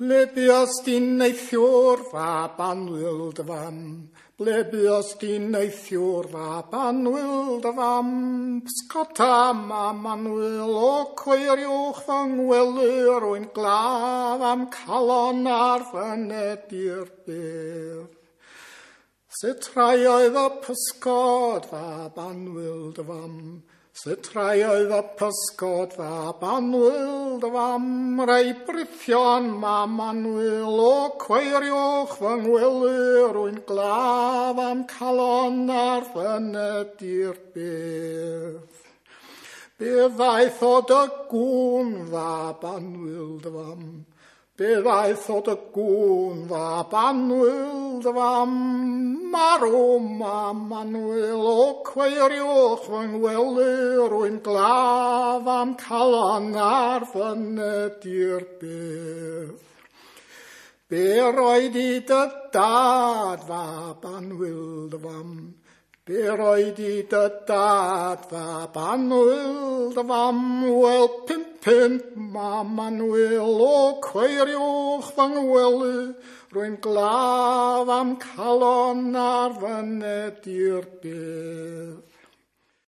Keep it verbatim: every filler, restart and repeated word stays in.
Ble buost di neithiwr, fab annwyl dy fam? Ble buost di neithiwr, fab annwyl dy fam? Pysgota, mam annwyl, o cweiriwch fy ngwely, rwy'n glaf am calon ar fyned i'r bedd. Sut rai oedd y pysgod, fab annwyl dy fam? Sut rai oedd y pysgod, fab annwyl dy fam? Rai brithion, mam annwyl, o cweiriwch fy ngwely, rwy'n glaf am calon ar fyned i'r bedd. Be ddaeth o dy gŵn, fab annwyl dy fam? Be ddaeth o dy gŵn, fab annwyl dy fam? Marw, mam annwyl, o cweiriwch fy ngwely, rwy'n glaf am calon ar fyned i'r bedd. Be roed i dy dad, fab annwyl dy fam? Be roed i dy dad, fab annwyl dy fam? Wel, pump punt, mam annwyl, o cweiriwch fy ngwely, rwy'n glaf am calon ar fyned i'r bedd.